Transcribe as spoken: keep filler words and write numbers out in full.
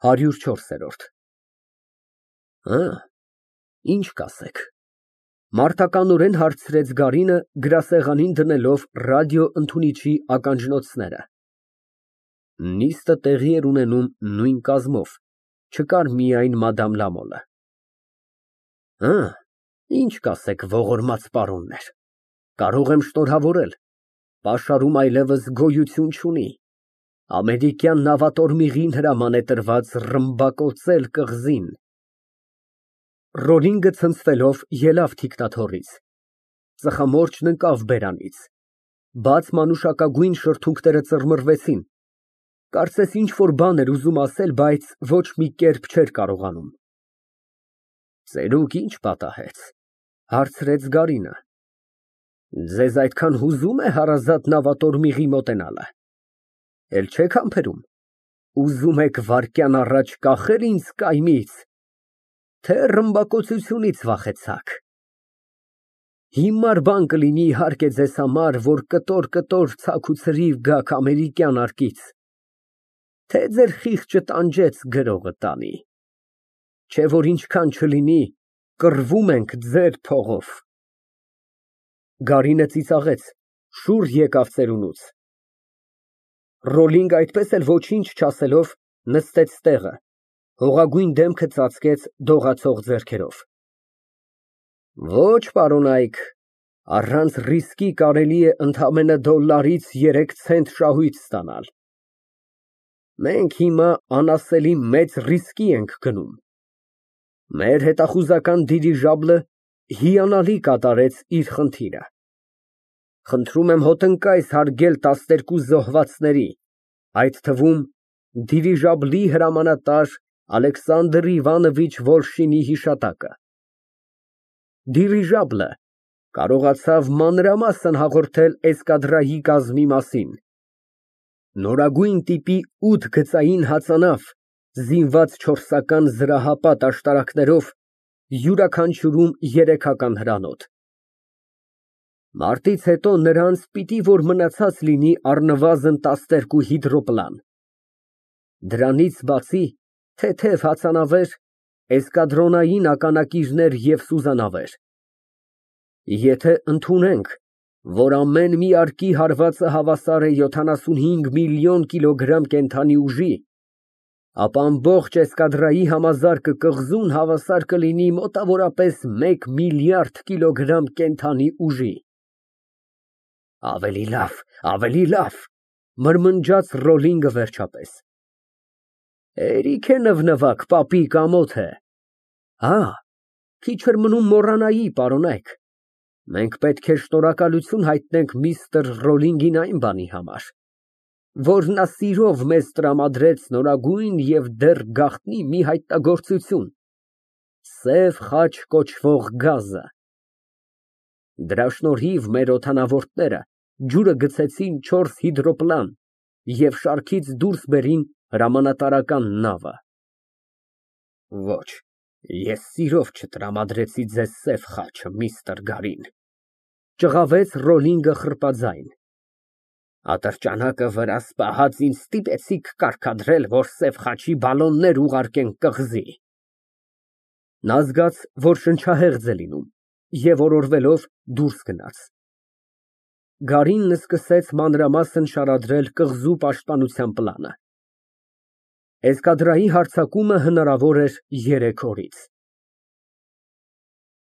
ՀԱՐՅՈՒՐ ՉՈՐՍԵՐՈՐԴ Հը, ինչ կասեք։ Մարտականորեն հարցրեց Գարինը, գրասեղանին դնելով ռադիոընդունիչի ականջնոցները։ Նիստը տեղի էր ունենում նույն կազմով, չկար միայն մադամ Լամոլը։ Հը, ինչ կասեք, ողորմած պարոններ, կարող եմ շնորհավորել, պաշարում այլևս գոյություն չունի, ամերիկյան նավատորմիղին հրաման է տրված ռմբակոծել կղզին։ Ռոլինգը ցնցվելով ելավ թիկնաթոռից, ծխամորճն ընկավ բերանից, բաց մանուշակագույն շրթունքները ծռմռվեցին, կարծես ինչ֊որ բան էր ուզում ասել, բայց ոչ մի կերպ չէր կարողանում։ Ծերուկ ի՞նչ պատահեց, հարցրեց Գարինը։ Ձեզ այդքան հուզում է հարազատ նավատորմիղի մոտենալը, էլ չեք համբերում, ուզում եք վայրկյան առաջ կախել ինձ կայմից, թե ռմբակոծությունից վախեցաք։ Հիմար բան կլինի իհարկե ձեզ համար, որ կտոր֊կտոր ցաք ու ցրիվ գաք ամերիկյան արկից, թե ձեր խիղճը տանջեց գրողը տանի, չէ որ ինչքան չլինի, կռվում ենք ձեր փողով։ Գարինը ծիծաղեց, շուռ եկավ ծերունուց։ Ռոլինգ այդպես էլ ոչինչ չասելով նստեց տեղը, հողագույն դեմքը ծածկեց դողացող ձեռքերով։ Ոչ, պարոնայք, առանց ռիսկի կարելի է ընդամենը դոլլարից երեք ցենտ շահույթ ստանալ։ Մենք հիմա անասելի մեծ ռիսկի ենք գնում։ Մեր հետախուզական դիրիժաբլը հիանալի կատարեց իր խնդիրը։ Խնդրում եմ հոտնկայս հարգել տասներկու զոհվածների, այդ թվում դիրիժաբլի հրամանատար Ալեքսանդր Իվանովիչ Վոլշինի հիշատակը։ Դիրիժաբլը կարողացավ մանրամասն հաղորդել էսկադրայի կազմի մասին։ Նորագույն տիպի ութ գծային հածանավ, զինված չորսական զրահապատ աշտարակներով, յուրաքանչյուրում երեքական հրանոթ։ Մարտից հետո նրանց պիտի որ մնացած լինի առնվազն տասներկու հիդրոպլան։ Դրանից բացի թեթև հածանավեր, էսկադրոնային ականակիրներ և սուզանավեր։ Եթե ընդունենք, որ ամեն մի արկի հարվածը հավասար է յոթանասունհինգ միլիոն կիլոգրամ կենդանի ուժի, ապա ամբողջ էսկադրայի համազարկը կղզուն հավասար կլինի մոտավորապես մեկ միլիարդ կիլոգրամ կենդանի ուժի։ Ավելի լավ, ավելի լավ, մրմնջաց Ռոլինգը վերջապես։ Հերիք է նվնվակ, պապիկ ամոթ է։ Հա, քիչ էր մնում մոռանայի, պարոնայք, մենք պետք է շնորհակալություն հայտնենք միստր Ռոլինգին այն բանի համար, որ նա սիրով մեզ տրամադրեց նորագույն և դեռ գաղտնի մի հայտնագործություն՝ Սև խաչ կոչվող գազը։ Դրա շնորհիվ մեր օդանավորդները ջուրը գցեցին չորս հիդրոպլան և շարքից դուրս բերին հրամանատարական նավը։ Ոչ, ես սիրով չտրամադրեցի ձեզ սև խաչը, միստր Գարին, ճղավեց Ռոլինգը խռպաձայն։ Ատրճանակը վրաս պահած ինձ ստիպեցիք կարգադրել, որ սև խաչի բալոններ ուղարկենք կղզի։ Նա զգաց, որ շնչահեղձ է լինում, և օրորվելով դուրս գնաց։ Գարինն սկսեց մանրամասն շարադրել կղզու պաշտպանության պլանը։ Էսկադրայի հարձակումը հնարավոր էր երեք օրից։